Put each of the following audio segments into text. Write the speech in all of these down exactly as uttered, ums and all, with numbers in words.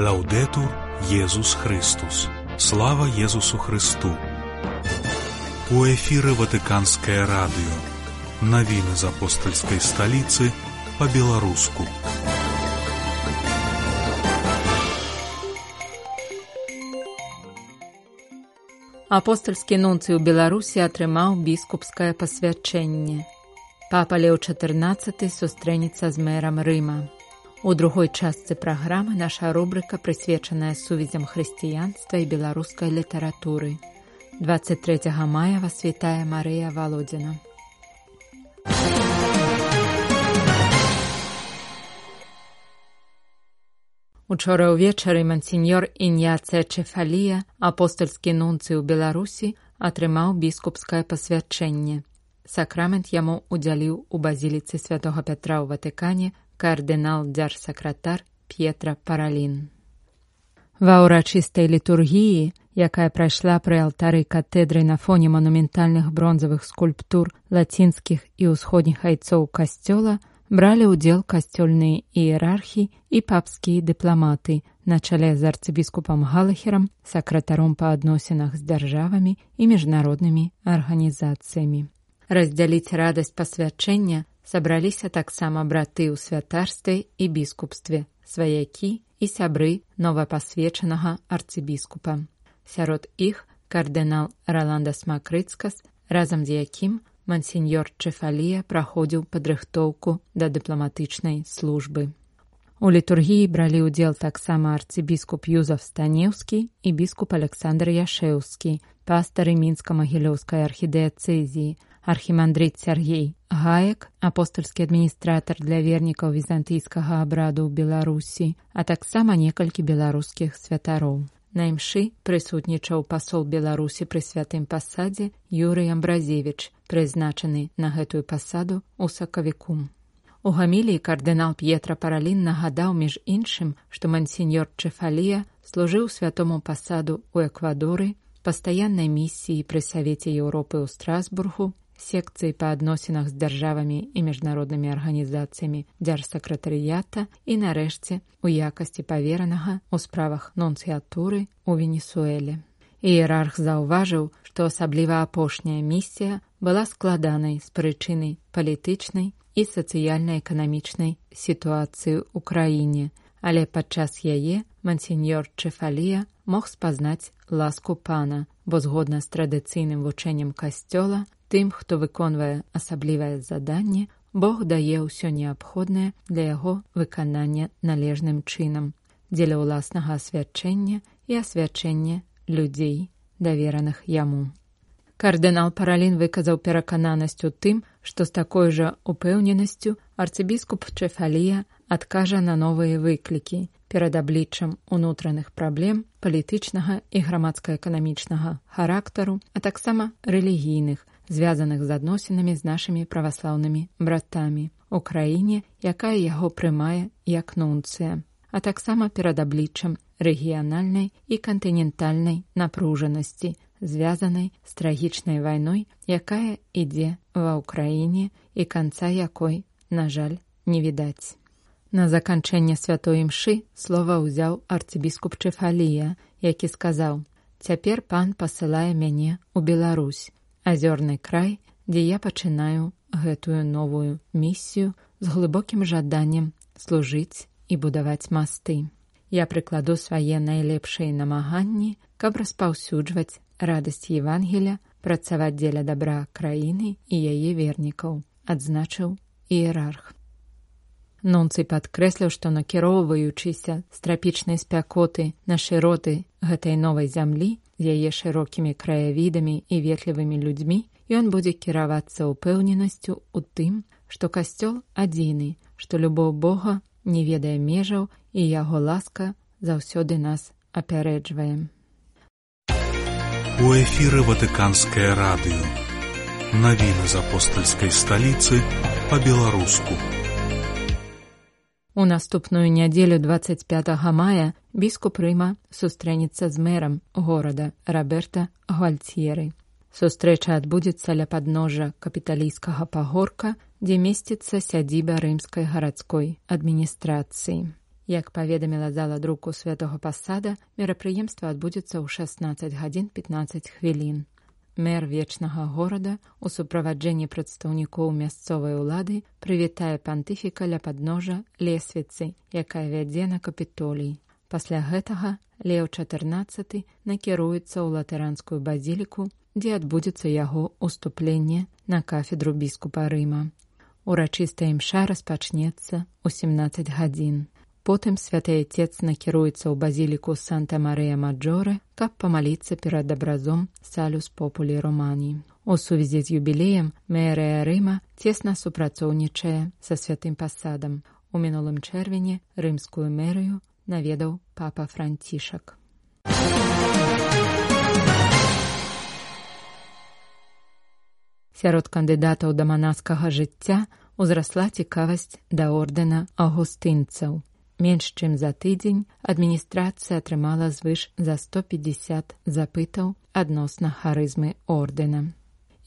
Лаўдэтур Езус Христус. Слава Езусу Христу. У эфіры Ватыканскае радыё. Навіны з апостальскай сталіцы па-беларуску. Апостальскі нунцый у Беларусі атрымаў біскупскае пасвячэнне. Папа Леў чатырнаццаты сустрэнецца з мэрам Рыма. У другой частцы праграмы наша рубрыка, прысвечаная сувязям хрысціянства і беларускай літаратуры. дваццаць трэцяга мая вас вітае Марыя Валодзіна. Учора ўвечары мансіньор Іньяцыя Чефалія, апостальскі нунцый у Беларусі, атрымаў біскупскае пасвячэнне. Сакрамент яму удзяліў у базіліцы святога Пятра ў Ватыкане кардынал-дзяржсакратар П'етра Паралін. Ва ўрачыстай літургіі, якая прайшла пры алтары катэдры на фоне манументальных бронзавых скульптур лацінскіх і ўсходніх айцоў касцёла, бралі ўдзел касцёльныя іерархі і папскія дыпламаты на чале з арцыбіскупам Галахерам, сакратаром па адносінах з дзяржавамі і міжнароднымі арганізацыямі. Раздзяліць радасць пасвячэння сабраліся таксама браты ў святарстве і біскупстве, сваякі і сябры новапасвечанага арцыбіскупа. Сярод іх кардынал Раландас Макрыцкас, разам з якім мансіньор Чефалія праходзіў падрыхтоўку да дыпламатычнай службы. У літургіі бралі ўдзел таксама арцыбіскуп Юзаф Станеўскі і біскуп Александр Яшэўскі, пастары мінска-магілёўскай архідыяцэзіі, архімандрыт Сяргей Гаек, апостальскі адміністратар для вернікаў візантыйскага абраду ў Беларусі, а таксама некалькі беларускіх святароў. На імшы прысутнічаў пасол Беларусі пры святым пасадзе Юрый Амбразевіч, прызначаны на гэтую пасаду ў сакавіку. У гаміліі кардынал П'етра Паралін нагадаў, між іншым, што мансіньор Чефалія служыў святому пасаду ў Эквадоры, пастаяннай місіі пры Савеце Еўропы ў Страсбургу, секцыі па адносінах з дзяржавамі і міжнароднымі арганізацыямі дзяржсакратарыята і, нарэшце, у якасці паверанага ў справах нунцыятуры ў Венесуэле. Іерарх заўважыў, што асабліва апошняя місія была складанай з прычыны палітычнай і сацыяльна-эканамічнай сітуацыі ў краіне, але падчас яе мансіньор Чефалія мог спазнаць ласку пана, бо згодна з традыцыйным вучэннем касцёла, тым, хто выконвае асаблівае заданне, Бог дае ўсё неабходнае для яго выканання належным чынам, дзеля ўласнага асвячэння і асвячэння людзей, давераных яму. Кардынал Паралін выказаў перакананасць у тым, што з такой жа упэўненасцю арцыбіскуп Чефалія адкажа на новыя выклікі перад абліччам унутраных праблем палітычнага і грамадска-эканамічнага характару, а таксама рэлігійных, звязаных з адносінамі з нашымі праваслаўнымі братамі ў краіне, якая яго прымае як нунцыя, а таксама перад абліччам рэгіянальнай і кантынентальнай напружанасці, звязанай з трагічнай вайной, якая ідзе ва ўкраіне і канца якой, на жаль, не відаць. На заканчэнне святой імшы слова ўзяў арцыбіскуп Чефалія, які сказаў: «Цяпер пан пасылае мяне ў Беларусь, азёрны край, дзе я пачынаю гэтую новую місію з глыбокім жаданнем служыць і будаваць масты. Я прыкладу свае найлепшыя намаганні, каб распаўсюджваць радасць Евангеля, працаваць дзеля дабра краіны і яе вернікаў», адзначыў іерарх. Нунцый падкрэсліў, што накіроўваючыся з трапічнай спякоты на шыроты гэтай новай зямлі, з яе шырокімі краявідамі і ветлівымі людзьмі, ён будзе кіравацца ўпэўненасцю ў тым, што касцёл адзіны, што любоў Бога не ведае межаў і яго ласка заўсёды нас апярэджвае. У эфіры Ватыканскае радыё. Навіны з апостальскай сталіцы па-беларуску. У наступную нядзелю дваццаць пятага мая біскуп Рыма сустрэнецца з мэрам горада Роберта Гвальцьеры. Сустрэча адбудзецца ля падножжа капіталійскага пагорка, дзе месціцца сядзіба рымскай гарадской адміністрацыі. Як паведаміла зала друку Святого Пасада, мерапрыемства адбудзецца ў шаснаццаць гадзін пятнаццаць хвілін. Мэр вечнага горада у суправаджэнні прадстаўнікоў мясцовай улады прывітае пантыфіка ля падножа лесвіцы, якая вядзе на Капітолій. Пасля гэтага Леў чатырнаццаты накіруецца ў латаранскую базіліку, дзе адбудзецца яго уступленне на кафедру біскупа Рыма. Урачыстая імша распачнецца ў сямнаццаць гадзін. Потым святы Отец накіруецца ў базіліку Санта-Марыя-Маджоре, каб памаліцца перад абразом Салюс Популі Романі. У сувязі з юбілеем мэрыя Рыма цесна супрацоўнічае са святым Пасадам. У мінулым чэрвені рымскую мэрыю наведаў папа Францішак. Сярод кандыдатаў да манаскага жыцця узрасла цікавасць да ордэна аўгустынцаў. Менш чым за тыдзень адміністрацыя атрымала звыш за сто пятьдесят запытаў адносна харызмы ордэна.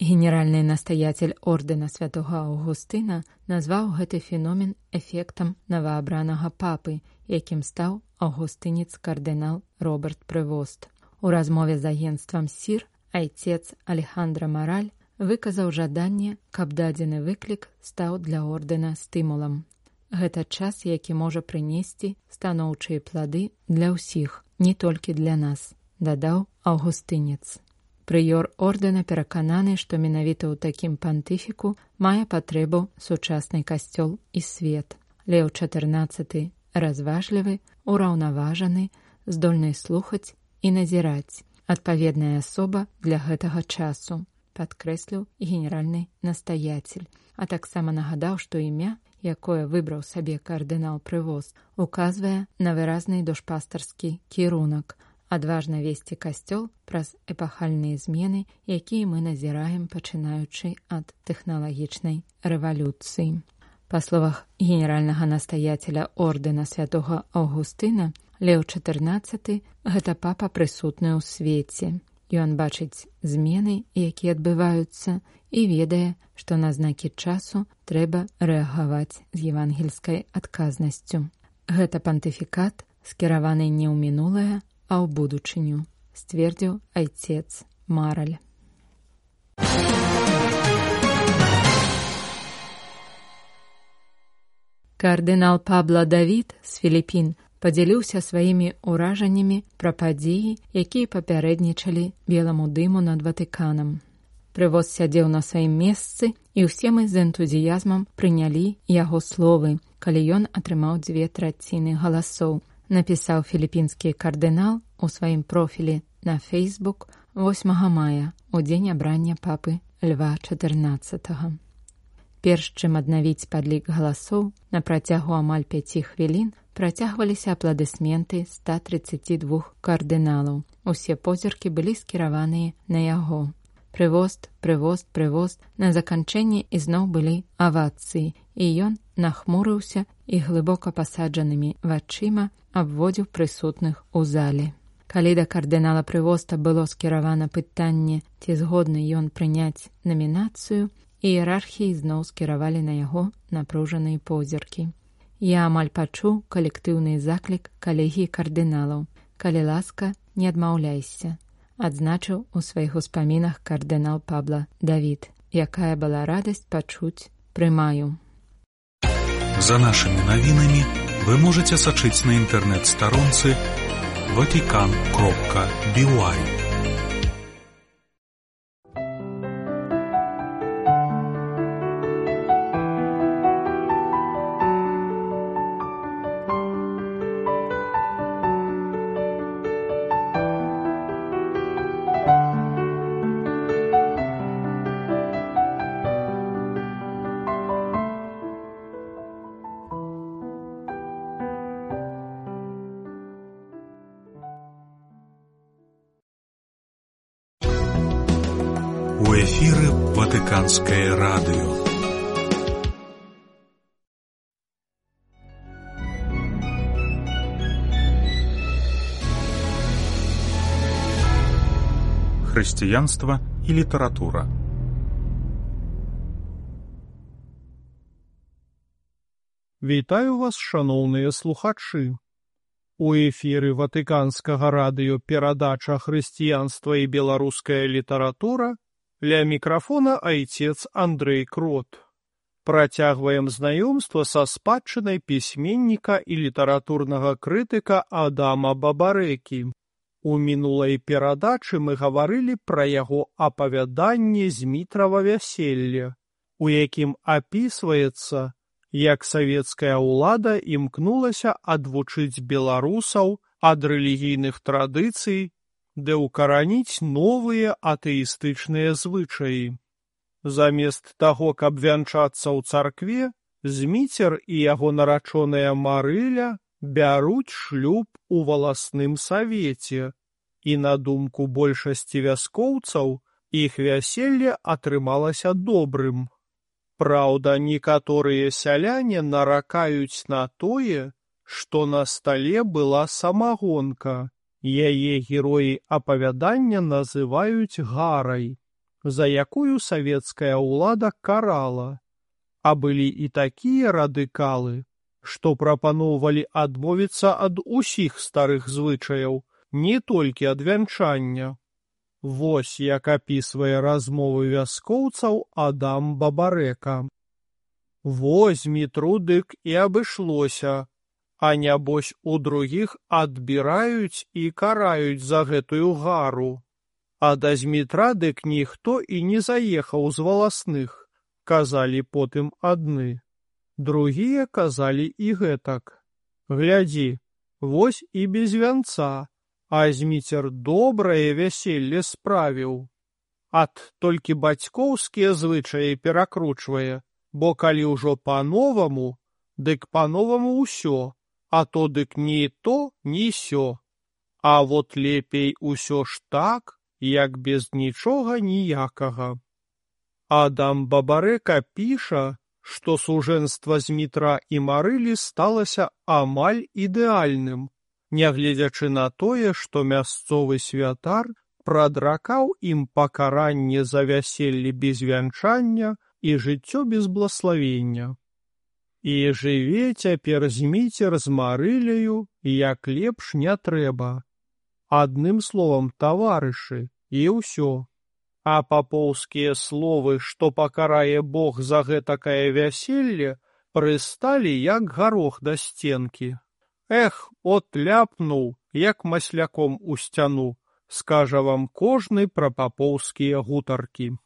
Генеральны настаяцель ордэна святога Аўгустына назваў гэты феномен эфектам новаабранага папы, якім стаў аўгустынец-кардынал Роберт Прывост. У размове з агенцтвам СІР айцец Алехандра Мараль выказаў жаданне, каб дадзены выклік стаў для ордэна стымулам. Гэта час, які можа прынесці станоўчыя плады для ўсіх, не толькі для нас, дадаў аўгустынец. Прыёр ордэна перакананы, што менавіта ў такім пантыфіку мае патрэбу сучасны касцёл і свет. Леў чатырнаццаты разважлівы, ураўнаважаны, здольны слухаць і назіраць. Адпаведная асоба для гэтага часу, падкрэсліў генеральны настаяцель, а таксама нагадаў, што імя, якое выбраў сабе кардынал Прывост, указвае на выразны душпастарскі кірунак, адважна весці касцёл праз эпахальныя змены, якія мы назіраем, пачынаючы ад тэхналагічнай рэвалюцыі. Па словах генеральнага настаяцеля ордэна святога Аўгустына, Леў чатырнаццаты – гэта папа прысутны ў свеце. Ён бачыць змены, якія адбываюцца, і ведае, што на знакі часу трэба рэагаваць з евангельскай адказнасцю. Гэта пантыфікат, скіраваны не ў мінулае, а ў будучыню, сцвердзіў айцец Мараль. Кардынал Пабло Давід з Філіпін падзяліўся сваімі ўражаннямі пра падзеі, якія папярэднічалі беламу дыму над Ватыканам. Прывоз сядзеў на сваім месцы, і ўсе мы з энтузіязмам прынялі яго словы, калі ён атрымаў дзве траціны галасоў, напісаў філіпінскі кардынал у сваім профілі на Фейсбук восьмага мая, у дзень абрання папы Льва чатырнаццатага. Перш чым аднавіць падлік галасоў, на працягу амаль пяці хвілін працягваліся апладысменты ста трыццаці двух кардыналаў. Усе позіркі былі скіраваныя на яго. Прывост, прывост, прывост. На заканчэнні ізноў былі авацыі, і ён нахмурыўся і глыбока пасаджанымі вачыма абводзіў прысутных у зале. Калі да кардынала Прывоста было скіравана пытанне, ці згодны ён прыняць намінацыю, іерархіі зноў скіравалі на яго напружаныя позіркі. Я амаль пачуў калектыўны заклік калегіі кардыналаў. Калі ласка, не адмаўляйся, адзначыў у сваіх успамінах кардынал Пабло Давід. Якая была радасць пачуць «прымаю». За нашымі навінамі вы можаце сачыць на інтэрнэт-старонцы ватикан кропка би уай. У эфіры Ватыканскае радыё. Хрысціянства і літаратура. В Вітаю вас, шаноўныя слухачы. У эфіры Ватыканскага радыё перадача «Хрысціянства і беларуская літаратура», ля мікрафона айцец Андрэй Крот. Працягваем знаёмства са спадчынай пісьменніка і літаратурнага крытыка Адама Бабарэкі. У мінулай перадачы мы гаварылі пра яго апавяданне «Змітрава вяселле», у якім апісваецца, як савецкая ўлада імкнулася адвучыць беларусаў ад рэлігійных традыцый, ды ўкараніць новыя атэістычныя звычаі. Замест таго, каб вянчацца ў царкве, Зміцер і яго нарачоная Марыля бяруць шлюб у валасным савеце, і на думку большасці вяскоўцаў, іх вяселле атрымалася добрым. Праўда, некаторыя сяляне наракаюць на тое, што на стале была самагонка. Яе героі апавядання называюць гарай, за якую савецкая ўлада карала. А былі і такія радыкалы, што прапаноўвалі адмовіцца ад усіх старых звычаяў, не толькі ад вянчання. Вось як апісвае размовы вяскоўцаў Адам Бабарэка. Вось Змітру дык і абышлося, а нябось у другіх адбіраюць і караюць за гэтую гару. А да Змітра дык ніхто і не заехаў з валасных, казалі потым адны. Другія казалі і гэтак. Глядзі, вось і без вянца. А Зміцер добрае вяселле справіў. Ат толькі бацькоўскія звычаі перакручвае, бо калі ўжо па-новаму, дык па-новаму ўсё, а то дык ні то, ні сё. А вот лепей усё ж так, як без нічога ніякага. Адам Бабарэка піша, што сужэнства Змітра і Марылі сталася амаль ідэальным, нягледзячы на тое, што мясцовы святар прадракаў ім пакаранне за вяселле без вянчання і жыццё без блаславення. І жыве цяпер Зміцер з Марыляю, як лепш не трэба. Адным словам, таварышы, і ўсё. А папоўскія словы, што пакарае Бог за гэтакае вяселле, прысталі як гарох да сценкі. Эх, от ляпнуў, як масляком у сцяну, скажа вам кожны пра папоўскія гутаркі.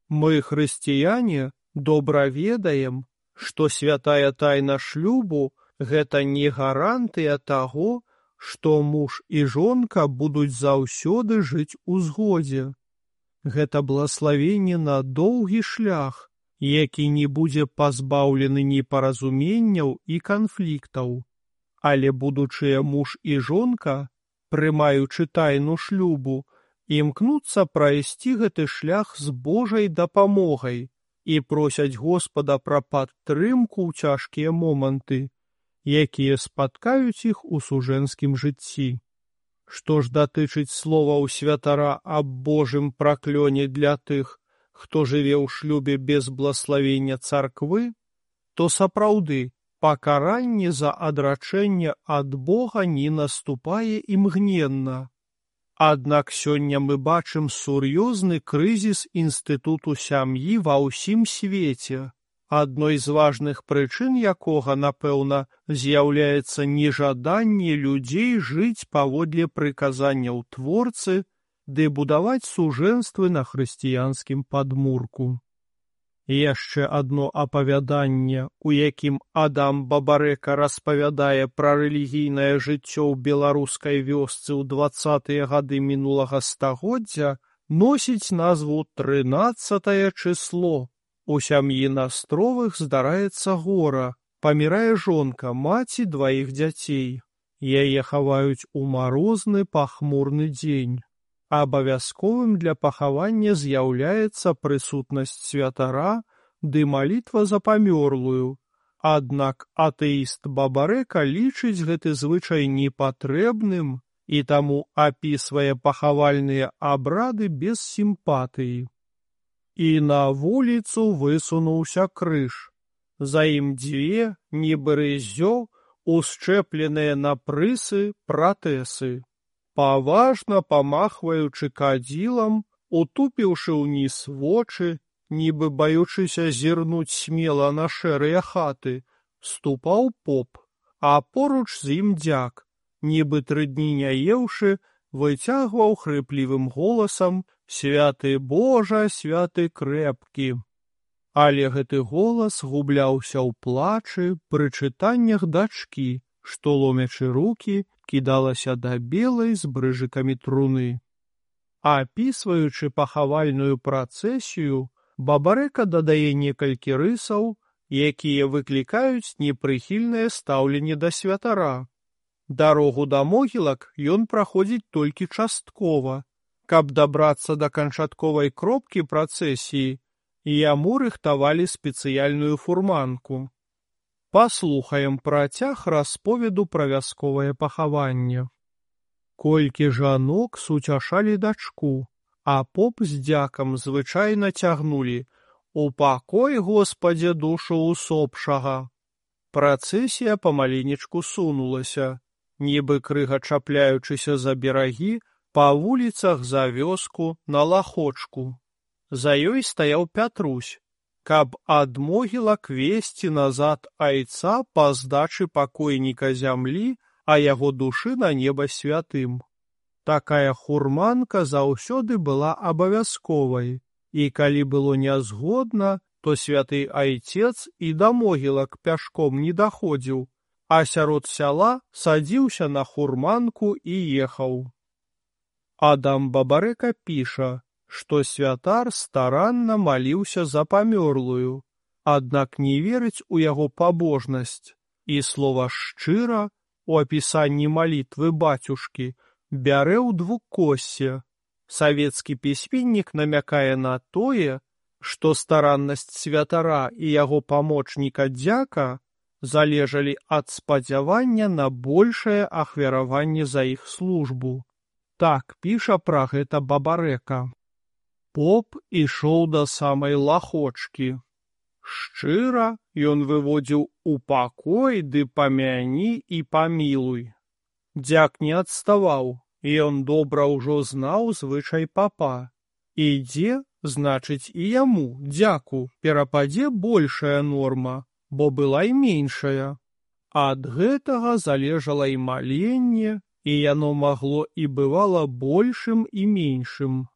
Мы, хрысціяне, добра ведаем, што святая тайна шлюбу – гэта не гарантыя таго, што муж і жонка будуць заўсёды жыць у згодзе. Гэта блаславенне на доўгі шлях, які не будзе пазбаўлены непаразуменняў і канфліктаў. Але будучыя муж і жонка, прымаючы тайну шлюбу, імкнуцца прайсці гэты шлях з Божай дапамогай і просяць Господа пра падтрымку ў цяжкія моманты, якія спаткаюць іх у сужэнскім жыцці. Што ж датычыць словаў святара аб Божым праклёне для тых, хто жыве ў шлюбе без блаславення царквы, то сапраўды, пакаранне за адрачэнне ад Бога не наступае імгненна. Аднак сёння мы бачым сур'ёзны крызіс інстытуту сям'і ва ўсім свеце, адной з важных прычын якога, напэўна, з'яўляецца нежаданне людзей жыць паводле прыказанняў Творцы ды будаваць сужэнствы на хрысціянскім падмурку. Яшчэ адно апавяданне, у якім Адам Бабарэка распавядае пра рэлігійнае жыццё ў беларускай вёсцы ў дваццатыя гады мінулага стагоддзя, носіць назву «Трынаццатае чысло». У сям'і Настровых здараецца гора, памірае жонка, маці дваіх дзяцей. Яе хаваюць у марозны пахмурны дзень. Абавязковым для пахавання з'яўляецца прысутнасць святара ды малітва за памёрлую. Аднак атэіст Бабарэка лічыць гэты звычай непатрэбным і таму апісвае пахавальныя абрады без сімпатыі. І на вуліцу высунуўся крыж. За ім дзве, нібы рыззё, ушчэпленыя на прысы пратэсы. Паважна памахваючы кадзілам, утупіўшы ўніз вочы, нібы баючыся зірнуць смела на шэрыя хаты, ступаў поп, а поруч з ім дзяк, нібы тры дні не еўшы, выцягваў хрыплівым голасам «Святы Божа, святы крэпкі». Але гэты голас губляўся ў плачы, пры чытаннях дачкі, што, ломячы рукі, кідалася да белай з брыжыкамі труны. Апісваючы пахавальную працэсію, Бабарэка дадае некалькі рысаў, якія выклікаюць непрыхільнае стаўленне да святара. Дарогу да могілак ён праходзіць толькі часткова. Каб дабрацца да канчатковай кропкі працэсіі, яму рыхтавалі спецыяльную фурманку. Паслухаем працяг расповеду пра вясковае пахаванне. Колькі жанок суцяшалі дачку, а поп з дзякам звычайна цягнулі «Упакой, Господзе, душу усопшага». Працэсія памаленечку сунулася, нібы крыга чапляючыся за берагі, па вуліцах за вёску на лахочку. За ёй стаяў Пятрусь, каб ад могілак весці назад айца па здачы пакойніка зямлі, а яго душы на неба святым. Такая хурманка заўсёды была абавязковай, і калі было нязгодна, то святы айцец і да могілак пяшком не даходзіў, а сярод сяла садзіўся на хурманку і ехаў. Адам Бабарэка піша, што святар старанна маліўся за памёрлую, аднак не верыць у яго пабожнасць, і слова «шчыра» у апісанні малітвы бацюшкі бярэ ў двукоссе. Савецкі пісьменнік намякае на тое, што стараннасць святара і яго памочніка дзяка залежалі ад спадзявання на большае ахвяраванне за іх службу. Так піша пра гэта Бабарэка. Поп ішоў да самай лахочкі. Шчыра ён выводзіў «Упакой ды памяні і памілуй». Дзяк не адставаў, і ён добра ўжо знаў звычай папа. Ідзе, значыць, і яму, дзяку, перападзе большая норма, бо была і меншая. Ад гэтага залежала і маленне, і яно магло і бывала большым і меншым.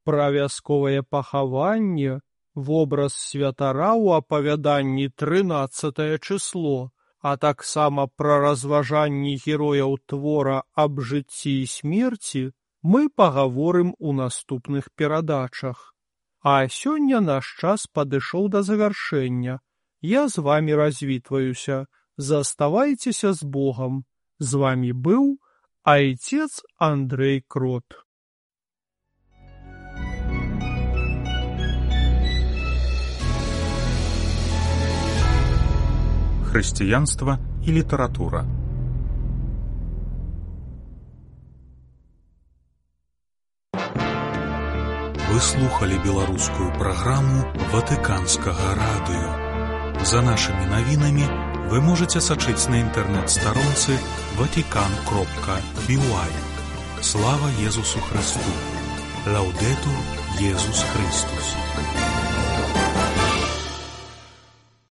Пра вясковае пахаванне, вобраз святара ў апавяданні трынаццатае чысло, а таксама пра разважанні герояў твора аб жыцці і смерці мы пагаворым у наступных перадачах. А сёння наш час падышоў да завяршэння. Я з вамі развітваюся. Заставайцеся з Богам. З вамі быў айцец Андрэй Крот. Хрысціянства і літаратура. Вы слухали беларускую праграму Ватыканскага радыё. За нашымі навінамі вы можаце сачыць на інтэрнэт-старонцы ватикан кропка би уай. Слава Езусу Христу! Лаўдэтур Езус Христус!